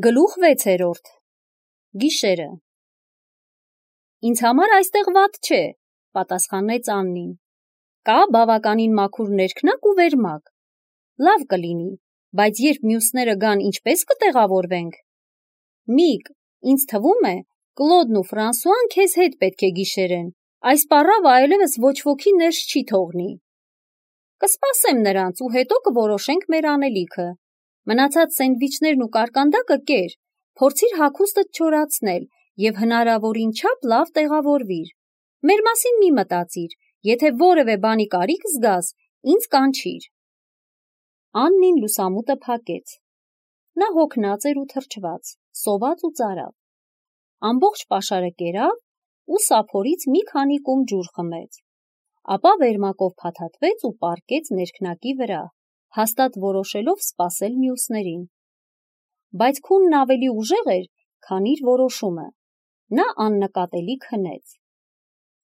Գլուխ 6-րդ Գիշերը Ինձ համար այստեղ վատ չէ, պատասխանեց Աննին։ Կա բավականին մաքուր ներքնակ ու վերմակ։ Լավ կլինի, բայց երբ մյուսները գան, ինչպես կտեղավորվենք։ Միկ, ինձ թվում է, Կլոդն ու Ֆրանսուան քեզ հետ պետք է գիշերեն, այս պառավը այլևս ոչ ոքի ներս չի թողնի։ Կսպասեմ նրանց ու հետո կորոշենք մեր անելիքը։ Մնացած սենդվիչներն ու կարկանդակը կեր, փորձիր հագուստդ չորացնել և հնարավորին չափ լավ տեղավորվիր։ Մեր մասին մի մտածիր, եթե որևէ բանի կարիք զգաս, ինձ կանչիր։ Աննին լուսամուտը փակեց։ Նա հոգնած էր ու թրջված, սոված ու ծարավ։ Ամբողջ պաշարը կերավ ու սափորից մի քանի կում ջուր խմեց։ Ապա վերմակով փաթաթվեց ու պառկեց ներքնակի վրա, հաստատ որոշելով սպասել մյուսներին։ Բայց քունն ավելի ուժեղ էր, քան իր որոշումը։ Նա աննկատելի քնեց։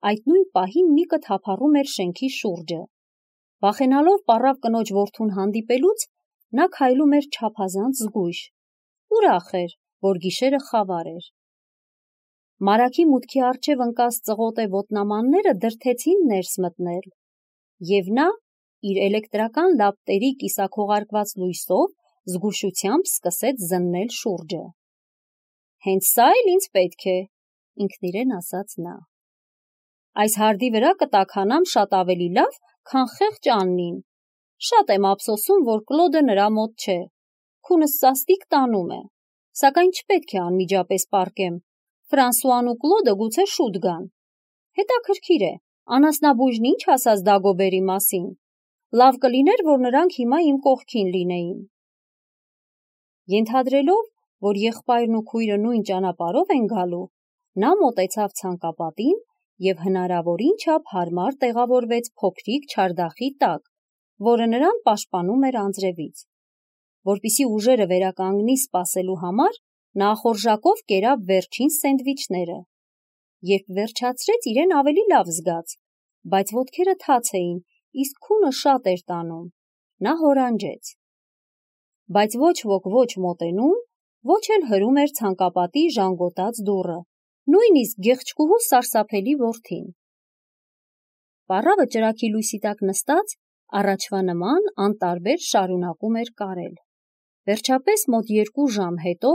Այդ նույն պահին Միկը թափառում էր շենքի շուրջը։ Վախենալով պառավ կնոջ որդուն հանդիպելուց, նա քայլում էր չափազանց զգույշ։ Ուրախ էր, որ գիշերը խավար էր։ Մարագի մուտքի առջև ընկած ծղոտե ոտնամանները դրդեցին ներս մտնել, և նա, իր էլեկտրական լապտերի կիսաքողարկված լույսով, զգուշությամբ սկսեց զննել շուրջը։ Հենց սա էլ ինձ պետք է, ինքնիրեն ասաց նա։ Այս հարդի վրա կտաքանամ շատ ավելի լավ, քան խեղճ Աննին։ Շատ եմ ափսոսում, որ Կլոդը նրա մոտ չէ։ Քունս սաստիկ տանում է, սակայն չպետք է անմիջապես պառկեմ։ Ֆրանսուան ու Կլոդը գուցե շուտ գան։ Հետաքրքիր է, անասնաբույժն ինչ ասաց Դագոբերի մասին։ Լավ կլիներ, որ նրանք հիմա իմ կողքին լինեին։ Ենթադրելով, որ եղբայրն ու քույրը նույն ճանապարհով են գալու, նա մոտեցավ ցանկապատին և հնարավորին չափ հարմար տեղավորվեց փոքրիկ չարդախի տակ, որը նրան պաշտպանում էր անձրևից։ Որպեսզի ուժերը վերականգնի սպասելու համար, նա ախորժակով կերավ վերջին սենդվիչները։ Երբ վերջացրեց, իրեն ավելի լավ զգաց, բայց ոտքերը թաց էին, իսկ քունը շատ էր տանում։ Նա հորանջեց։ Բայց ոչ ոք ոչ մոտենում, ոչ էլ հրում էր ցանկապատի ժանգոտած դուռը, նույնիսկ գեղեցկուհու սարսափելի որդին։ Պառավը ճրագի լույսի տակ նստած, առաջվա նման անտարբեր շարունակում էր կարել։ Վերջապես մոտ 2 ժամ հետո,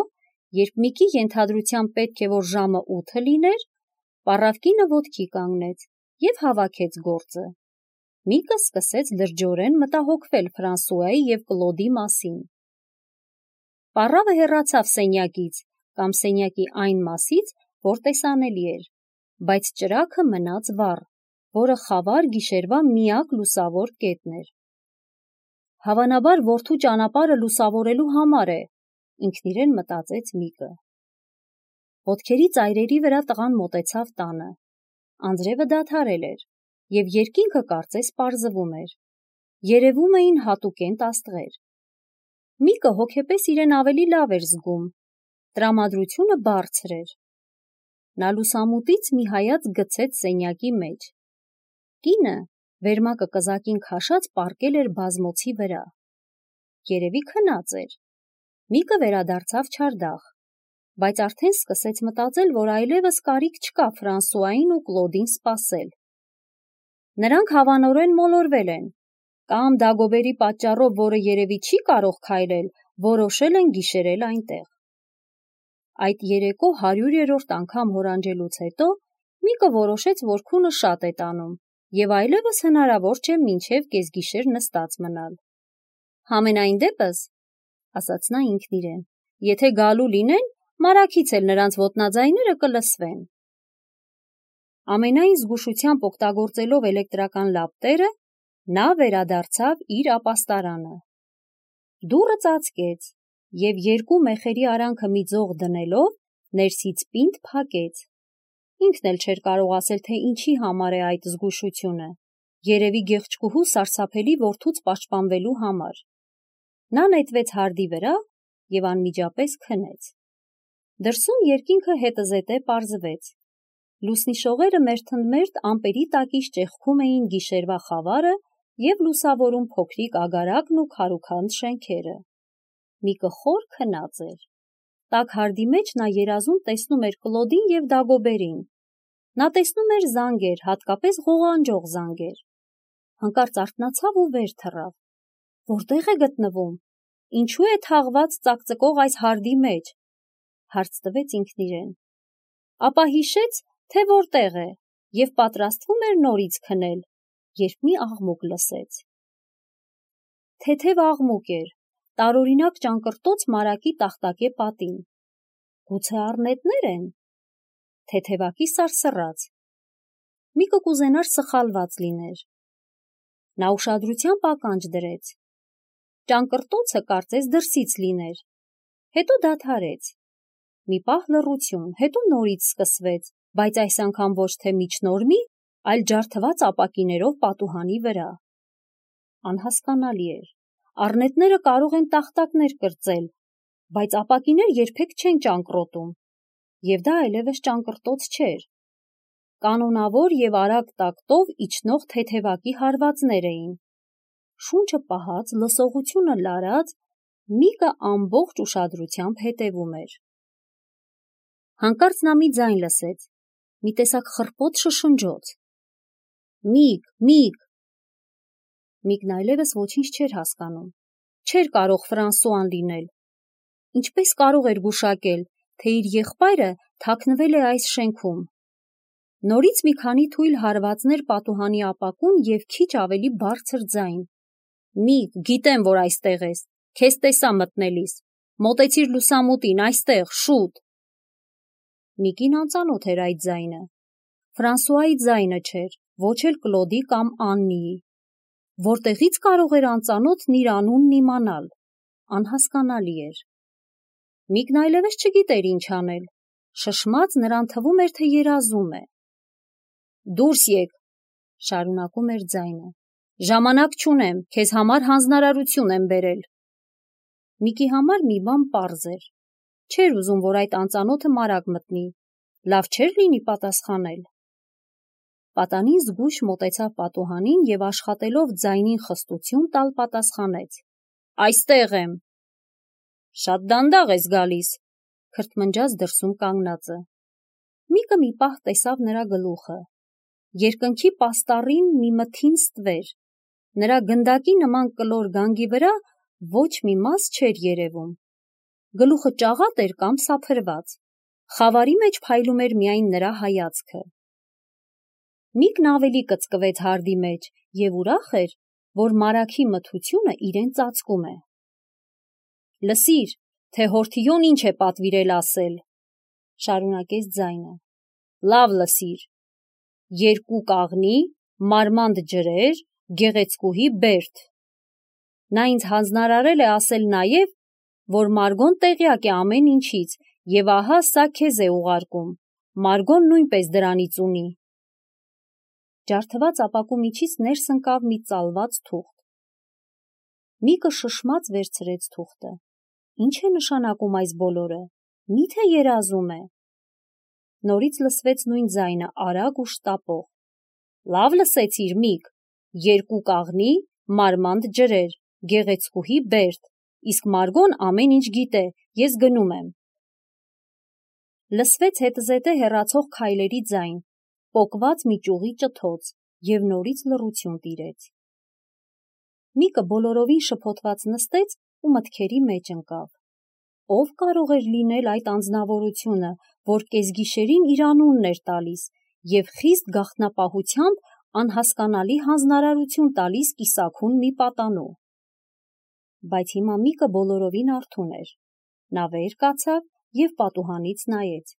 երբ Միկի ենթադրությամբ պետք է, որ ժամը 8 լիներ, պառավկինը ոտքի կանգնեց և հավաքեց գործը։ Միկը սկսեց լրջորեն մտահոգվել Ֆրանսուայի և Կլոդի մասին։ Պառավը հեռացավ սենյակից կամ սենյակի այն մասից, որ տեսանելի էր, բայց ճրագը մնաց վառ, որը խավար գիշերվա միակ լուսավոր կետն էր։ Հավանաբար որդու ճանապարհը լուսավորելու համար է, ինքնիրեն մտածեց Միկը։ Ոտքերի ծայրերի վրա տղան մոտեցավ տանը։ Անձրևը դադարել էր, և երկինքը կարծես պարզվում էր։ Երևում էին հատուկենտ աստղեր։ Միկը հոգեպես իրեն ավելի լավ էր զգում։ Տրամադրությունը բարձր էր։ Նա լուսամուտից մի հայացք գցեց սենյակի մեջ։ Կինը, վերմակը կզակին քաշած, պառկել էր բազմոցի վրա։ Երևի քնած էր։ Միկը վերադարձավ չարդախ, բայց արդեն սկսեց մտածել, որ այլևս կարիք չկա Ֆրանսուային ու Կլոդին սպասել։ Նրանք հավանորեն մոլորվել են, կամ Դագոբերի պատճառով, որը երևի չի կարող քայլել, որոշել են գիշերել այնտեղ։ Այդ երեկո 100-րդ անգամ հորանջելուց հետո Միկը որոշեց, որ քունը շատ է տանում, և այլևս հնարավոր չէ մինչև կեսգիշեր նստած մնալ։ Համենայն դեպս, ասաց նա ինքնիրեն, եթե գալու լինեն, մարաքից էլ նրանց ոտնաձայները կլսվեն։ Ամենայն զգուշությամբ օգտագործելով էլեկտրական լապտերը, նա վերադարձավ իր ապաստարանը։ Դուռը ծածկեց և 2 մեխերի արանքը մի ձող դնելով, ներսից պինդ փակեց։ Ինքն էլ չէր կարող ասել, թե ինչի համար է այդ զգուշությունը, երևի գեղեցկուհու սարսափելի որդուց պաշտպանվելու համար։ Նա նետվեց հարդի վրա և անմիջապես քնեց։ Դրսում երկինքը հետզհետե պարզվեց։ Լուսնի շողերը մերթընդմերթ ամպերի տակից ճեղքում էին գիշերվա խավարը և լուսավորում փոքրիկ ագարակն ու քարուքանդ շենքերը։ Միկը խոր քնած էր։ Տաք հարդի մեջ նա երազում տեսնում էր Կլոդին և Դագոբերին։ Նա տեսնում էր զանգեր, հատկապես ղողանջող զանգեր։ Հանկարծ արթնացավ ու վեր թռավ։ Որտե՞ղ է գտնվում։ Ինչու է թաղված ծակծկող այս հարդի մեջ, հարց տվեց ինքն իրեն։ Ապա հիշեց, թե որտեղ է, և պատրաստվում էր նորից քնել, երբ մի աղմուկ լսեց։ Թեթև աղմուկ էր, տարօրինակ ճանկռտոց մարակի տախտակե պատին։ Գուցե առնետնե՞ր են։ Թեթևակի սարսռաց։ Միկը կուզենար սխալված լիներ։ Նա ուշադրությամբ ականջ դրեց։ Ճանկռտոցը կարծես դրսից լիներ։ Հետո դադարեց։ Մի պահ լռություն, հետո նորից սկսվեց, բայց այս անգամ ոչ թե միջնորմի, այլ ջարդված ապակիներով պատուհանի վրա։ Անհասկանալի էր։ Առնետները կարող են տախտակներ կրծել, բայց ապակիներ երբեք չեն ճանկռոտում, և դա այլևս ճանկռտոց չէր։ Կանոնավոր և արագ տակտով իջնող թեթևակի հարվածներ էին։ Շունչը պահած, լսողությունը լարած, Միկը ամբողջ ուշադրությամբ հետևում էր։ Հանկարծ նա մի ձայն լսեց, մի տեսակ խռպոտ շշնջոց։ Միկ։ Միկն այլևս ոչինչ չէր հասկանում։ Չէր կարող Ֆրանսուան լինել։ Ինչպես կարող էր գուշակել, թե իր եղբայրը թաքնվել է այս շենքում։ Նորից մի քանի թույլ հարվածներ պատուհանի ապակուն և քիչ ավելի բարձր ձայն։ Միկ, գիտեմ, որ այստեղ ես, քեզ տեսա մտնելիս, մոտեցիր լուսամուտին, այստեղ, շուտ։ Միկին անծանոթ էր այդ ձայնը։ Ֆրանսուայի ձայնը չէր, ոչ էլ Կլոդի կամ Աննիի։ Որտեղից կարող էր անծանոթն իր անունն իմանալ։ Անհասկանալի էր։ Միկն այլևս չգիտեր ինչ անել։ Շշմած նրան թվում էր, թե երազում է։ Դուրս եկ, շարունակում էր ձայնը։ Ժամանակ չունեմ, քեզ համար հանձնարարություն եմ բերել։ Միկի համար մի բան պարզ էր։ Չէր ուզում, որ այդ անծանոթը մարակ մտնի։ Լավ չէր լինի պատասխանել։ Պատանին զգույշ մոտեցավ պատուհանին և աշխատելով ձայնին խստություն տալ պատասխանեց. Այստեղ եմ։ Շատ դանդաղ ես գալիս, քրթմնջաց դրսում կանգնածը։ Միկը մի պահ տեսավ նրա գլուխը։ Երկնքի պաստառին մի մթին ստվեր։ Նրա գնդակի նման կլոր գանգի վրա ոչ մի մաս չէր երևում։ Գլուխը ճաղատ էր կամ սափրված։ Խավարի մեջ փայլում էր միայն նրա հայացքը։ Միկն ավելի կծկվեց հարդի մեջ և ուրախ էր, որ մարագի մթությունը իրեն ծածկում է։ Լսիր, թե Հորթիոն ինչ է պատվիրել ասել, շարունակեց ձայնը։ Լավ լսիր։ 2 կաղնի, մարմանդ ջրեր, գեղեցկուհի Բերտ։ Նա ինձ հանձնարարել է ասել նաև, որ Մարգոն տեղյակ է ամեն ինչից, և ահա սա քեզ է ուղարկում։ Մարգոն նույնպես դրանից ունի։ Ջարդված ապակու միջից ներս ընկավ մի ծալված թուղթ։ Միկը շշմած վերցրեց թուղթը։ Ինչ է նշանակում այս բոլորը։ Մի՞թե երազում է։ Նորից լսվեց նույն ձայնը, արագ ու շտապող։ Լավ լսեցիր, Միկ։ 2 կաղնի, մարմանդ ջրեր, գեղեցկուհի Բերտ, իսկ Մարգոն ամեն ինչ գիտե, ես գնում եմ։ Լսվեց հետզհետե հեռացող քայլերի ձայն, պոկված մի ճյուղի ճթոց, և նորից լռություն տիրեց։ Միկը բոլորովին շփոթված նստեց ու մտքերի մեջ ընկավ։ Ով կարող էր լինել այդ անձնավորությունը, որ կեսգիշերին իր անունն էր տալիս և խիստ գաղտնապահությամբ անհասկանալի հանձնարարություն տալիս կիսաքուն մի պատանու։ Բայց հիմա Միկը բոլորովին արթուն էր։ Նա վեր կացավ և պատուհանից նայեց։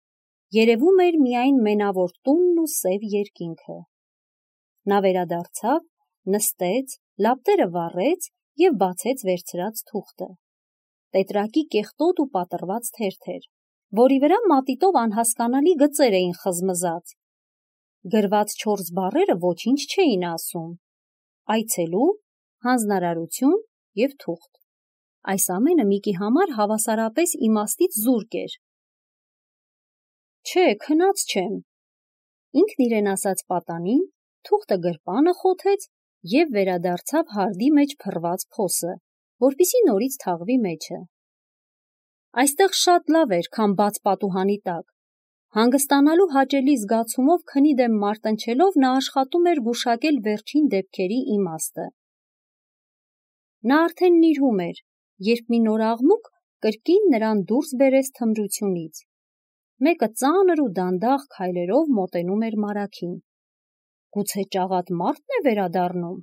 Երևում էր միայն մենավոր տունն ու սև երկինքը։ Նա վերադարձավ, նստեց, լապտերը վառեց և բացեց վերցրած թուղթը։ Տետրակի կեղտոտ ու պատռված թերթեր, որի վրա մատիտով անհասկանալի գծեր էին խզմզած։ Գրված 4 բառերը ոչինչ չէին ասում։ Այցելու, հանձնարարություն և թուղթ։ Այս ամենը Միկի համար հավասարապես իմաստից զուրկ էր։ Չէ, քնած չեմ։ Ինքն իրեն ասաց պատանին, թուղթը գրպանը խոթեց և վերադարձավ հարդի մեջ փռված փոսը, որպեսզի նորից թաղվի մեջը։ Այստեղ շատ լավ էր, քան բաց պատուհանի տակ։ Հանգստանալու հաճելի զգացումով քնի դեմ մարտնչելով նա աշխատում էր գուշակել վերջին դեպքերի իմաստը։ Նա արդեն նիրհում էր, երբ մի նոր աղմուկ կրկին նրան դուրս բերեց թմրությունից։ Մեկը ծանր ու դանդաղ քայլերով մոտենում էր Մարաքին։ Գուցե ճաղատ մարդն է վերադառնում։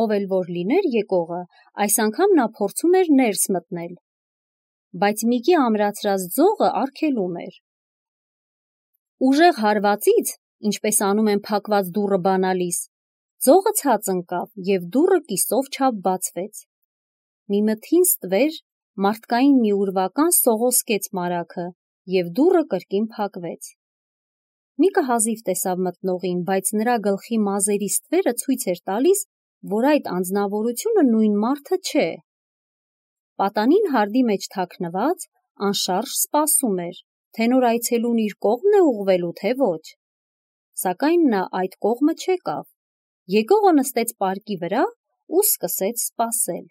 Ով էլ որ լիներ եկողը, այս անգամ նա փորձում էր ներս մտնել, բայց Միկի ամրացրած ձողը արգելում էր։ Ուժեղ հարվածից, ինչպես անում են փակված դուռը բանալիս, ձողը ցած ընկավ և դուռը կիսով չափ բացվեց։ Մի մթին ստվեր, մարդկային մի ուրվական սողոսկեց Մարաքը և դուռը կրկին փակվեց։ Միկը հազիվ տեսավ մտնողին, բայց նրա գլխի մազերի ստվերը ցույց էր տալիս, որ այդ անձնավորությունը նույն մարդը չէ։ Պատանին հարդի մեջ թաքնված, անշարժ սպասում էր, թե նոր այցելուն իր կողմն է ուղղվելու, թե ոչ։ Սակայն նա այդ կողմը չեկավ։ Եկողը նստեց պարկի վրա ու սկսեց սպասել։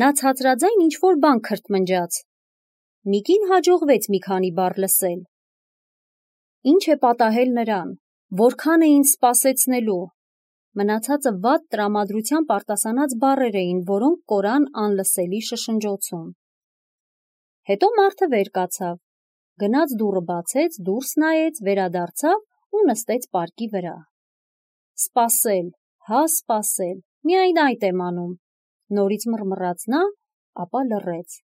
Նա ցածրաձայն ինչ-որ բան քրթմնջաց։ Միկին հաջողվեց մի քանի բառ լսել։ Ինչ է պատահել նրան, որքան է ինձ սպասեցնելու։ Մնացածը վատ տրամադրությամբ արտասանած բառեր էին, որոնք կորան անլսելի շշնջոցում։ Հետո մարդը վեր կացավ, գնաց դուռը բացեց, դուրս նայեց, վերադարձավ ու նստեց պարկի վրա։ Սպասել, հա սպասել, միայն այդ եմ անում, նորից մռմռաց նա, ապա լռեց։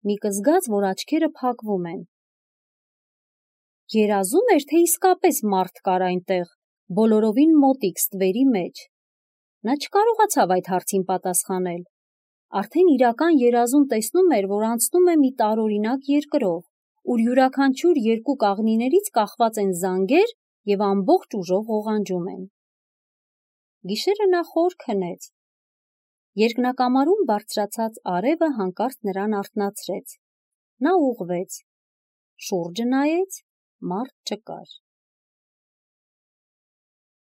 Միկը զգաց, որ աչքերը փակվում են։ Երազում էր, թե իսկապես մարդ կար այնտեղ, բոլորովին մոտիկ ստվերի մեջ։ Նա չկարողացավ այդ հարցին պատասխանել։ Արդեն իրական երազում տեսնում էր, որ անցնում է մի տարօրինակ երկրով, ուր յուրաքանչյուր երկու կաղնիներից կախված են զանգեր և ամբողջ ուժով ղողանջում են։ Գիշերը նա խոր քնեց։ Երկնակամարում բարձրացած արևը հանկարծ նրան արթնացրեց։ Նա ուղղվեց։ Շուրջը նայեց, մարդ չկար։